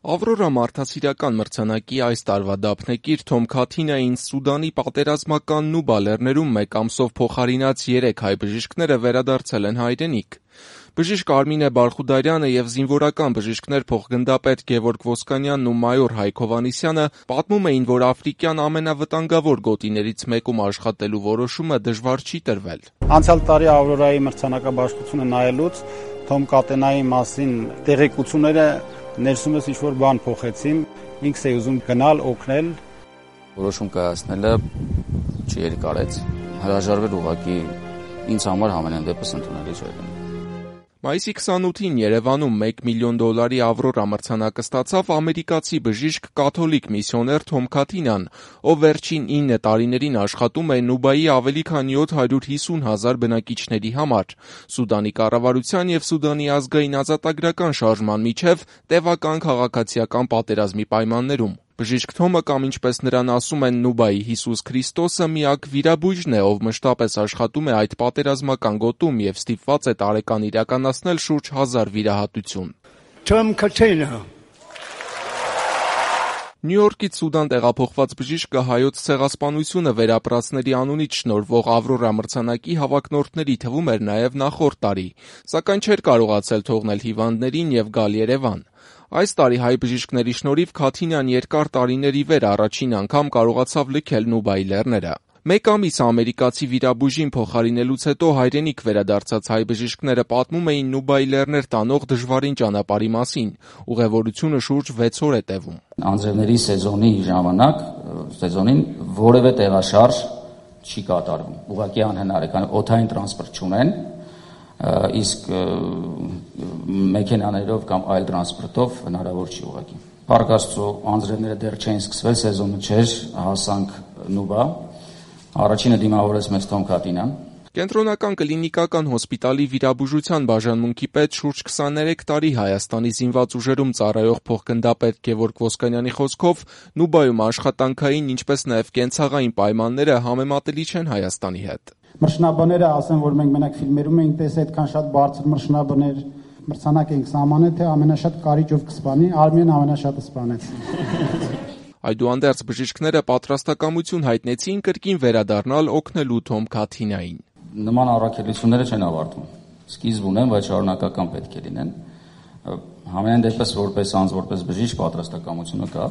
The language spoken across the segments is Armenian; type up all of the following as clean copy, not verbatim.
Ավրորա մարդասիրական մրցանակի այս տարվա դափնեկիր Թոմ Քաթինային Սուդանի պատերազմական Նուբա լեռներում մեկ ամսով փոխարինած 3 հայ բժիշկները վերադարձել են հայրենիք։ Բժիշկ Արմինե Բարխուդարյանը և զինվորական բժիշկներ փոխգնդապետ Գևորգ Ոսկանյանն ու մայոր Հայկ Հովհաննիսյանը պատմում էին, որ աֆրիկյան ամենավտանգավոր գոտիներից մեկում աշխատելու որոշումը դժվար չի տրվել։ Անցյալ տարի Ավրորայի մրցանակաբաշխությունը նայելուց Թոմ Քաթինայի մասին տեղեկությունները ներսումս ինչ-որ բան փոխեցին, ինքս էի ուզում գնալ, օգնել։ Որոշում կայացնելը չերկարեց, հրաժարվել ուղղակի ինձ համար ամենայն դեպս ընդունելի չէր։ Մայիսի 28-ին Երևանում $1 միլիոն Ավրորա մրցանակը ստացավ ամերիկացի բժիշկ կաթոլիկ միսիոներ Թոմ Քաթինան, ով վերջին 9 տարիներին աշխատում է Նուբայի ավելի քան 750,000 բնակիչների համար, Սուդանի կառավարության և Սուդանի ազգային ազատագրական շարժման միջև տևական քաղաքացիական պատերազմի պայմաններում։ Բժիշկ Թոմը կամ ինչպես նրան ասում են Նուբայի Հիսուս Քրիստոսը միակ վիրաբույժն է, ով մշտապես աշխատում է այդ պատերազմական գոտում և ստիպված է տարեկան իրականացնել շուրջ 1000 վիրահատություն։ Թոմ Քաթինա Նյու Յորքից Սուդան տեղափոխված բժիշկը հայոց ցեղասպանությունը վերապրածների անունից շնորհվող Ավրորա մրցանակի հավակնորդների թվում էր նաև նախորդ տարի, սակայն չէր կարողացել թողնել հիվանդներին և գալ Երևան։ Այս տարի հայ բժիշկների շնորհիվ Քաթինան երկար տարիների վեր առաջին անգամ կարողացավ լքել Նուբայի լեռները։ Մեկ ամիս ամերիկացի վիրաբույժին փոխարինելուց հետո հայրենիք վերադարձած հայ բժիշկները պատմում էին Նուբայի լեռներ տանող դժվարին ճանապարհի մասին։ Ուղևորությունը շուրջ 6 օր է տևում։ Անձրևների սեզոնի ժամանակ սեզոնին որևէ տեղաշարժ չի կատարվում։ Ուղղակի անհնար է, քանի օդային տրանսպորտ չունեն, իսկ մեքենաներով կամ այլ տրանսպորտով հնարավոր չի ուղղակի։ Փառք Աստծո, անձրևները դեռ չէին սկսվել, սեզոնը չէր, հասանք Նուբա։ Առաջինը դիմավորեց մեզ Թոմ Քաթինան։ Կենտրոնական կլինիկական հոսպիտալի վիրաբուժության բաժանմունքի պետ շուրջ 23 տարի Հայաստանի զինված ուժերում ծառայող փոխգնդապետ Գևորգ Ոսկանյանի խոսքով Նուբայում աշխատանքային, ինչպես նաև կենցաղային պայմանները համեմատելի չեն Հայաստանի հետ։ Մրցնաբները ասեն, որ մենք մենակ ֆիլմերում ենք տեսել այդքան շատ բարձր մրցնաբներ, մրցանակ ենք սահմանել, թե ամենաշատ կարիճով կսպանի, Արմենն ամենաշատը սպանեց։ Այդուհանդերձ բժիշկները պատրաստակամություն հայտնեցին կրկին վերադառնալ օգնելու Թոմ Քաթինային։ Նման առաքելությունները չեն ավարտվում։ Սկիզբ ունեն, բայց շարունակական պետք է լինեն։ Համենայն դեպս որպես անձ, որպես բժիշկ պատրաստակամությունը կա։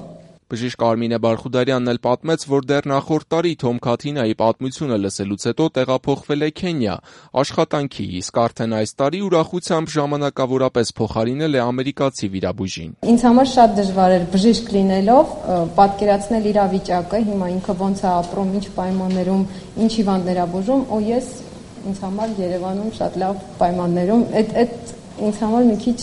Բժիշկ Արմինե Բարխուդարյանն էլ պատմեց, որ դեռ նախորդ տարի Թոմ Քաթինայի պատմությունը լսելուց հետո տեղափոխվել է Քենիա աշխատանքի, իսկ արդեն այս տարի ուրախությամբ ժամանակավորապես փոխարինել է ամերիկացի վիրաբույժին։ Ինձ համար շատ դժվար էր բժիշկ լինելով պատկերացնել իրավիճակը, հիմա ինքը ոնց է ապրում, ինչ պայմաններում, ինչ հիվանդներ է բուժում, ու ես ինձ համար Երևանում շատ լավ պայմաններում, այդ ինձ համար մի քիչ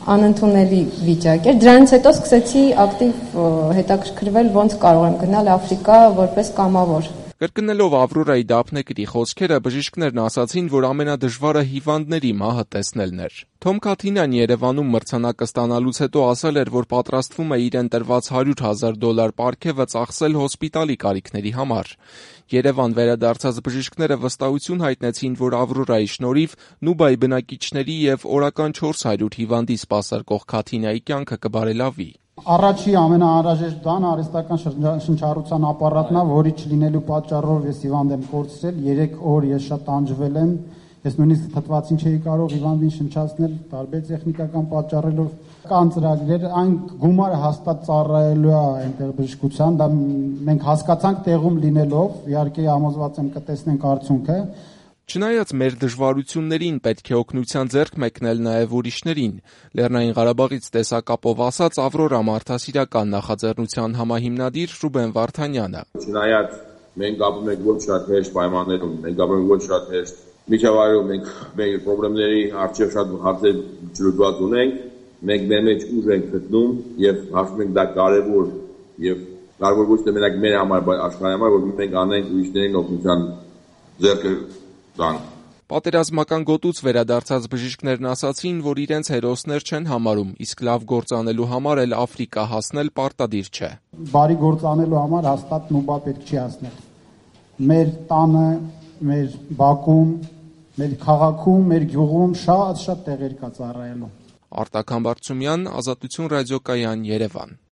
անընդունելի վիճակ էր։ Դրանից հետո սկսեցի ակտիվ հետաքրքրվել ոնց կարող եմ գնալ Աֆրիկա որպես կամավոր։ Կրկնելով Ավրորայի դափնեկրի խոսքերը, բժիշկներն ասացին, որ ամենադժվարը հիվանդների մահը տեսնելն էր։ Թոմ Քաթինան Երևանում մրցանակը ստանալուց հետո ասել էր, որ պատրաստվում է իրեն տրված $100,000 պարգևը ծախսել հոսպիտալի կարիքների համար։ Երևան վերադարձած բժիշկները վստահություն հայտնեցին, որ Ավրորայի շնորհիվ Նուբայի բնակիչների և օրական 400 հիվանդի սպասարկող Քաթինայի կյանքը կբարելավի։ Առաջի ամենաանհրաժեշտ բանը արհեստական շնչառության ապարատն է, որի չլինելու պատճառով ես հիվանդ եմ կորցրել, 3 օր ես շատ տանջվել եմ, ես նույնիսկ թթվածին չէի կարող հիվանդին շնչացնել, տարբեր տեխնիկական պատճառերով կան ծրագրեր, այն գումարը հաստատ ծառայելու է այնտեղ բժշկության, դա մենք հասկացանք տեղում լինելով, իհարկե համոզված եմ կտեսնենք արդյունքը։ Չնայած մեր դժվարություններին պետք է օգնության ձեռք մեկնել նաև ուրիշներին, Լեռնային Ղարաբաղից տեսակապով ասաց Ավրորա մարդասիրական նախաձեռնության համահիմնադիր Ռուբեն Վարդանյանը։ Չնայած մենք ապրում ենք ոչ շատ հեշտ պայմաններում, մենք ապրում ենք ոչ շատ հեշտ միջավայրում, մենք մեր խնդիրների առջև շատ հարցեր ջրուտված ունենք, մենք մեր մեջ ուժ ենք գտնում եւ հաշվում ենք դա կարեւոր եւ կարեւոր ոչ թե մենակ մեր համար, բայց աշխարհի համար, որ մենք անենք ուրիշներին օգնության ձեռքը Պատերազմական գոտուց վերադարձած բժիշկներն ասացին, որ իրենց հերոսներ չեն համարում, իսկ լավ գործ անելու համար էլ Աֆրիկա հասնել պարտադիր չէ։ Բարի գործ անելու համար հաստատ Նուբա պետք չի հասնել։ Մեր տանը, մեր բակում, մեր քաղաքում, մեր գյուղում շատ տեղեր կա ծառայելու։ Արտակ Համբարձումյան, Ազատություն ռադիոկայան, Երևան։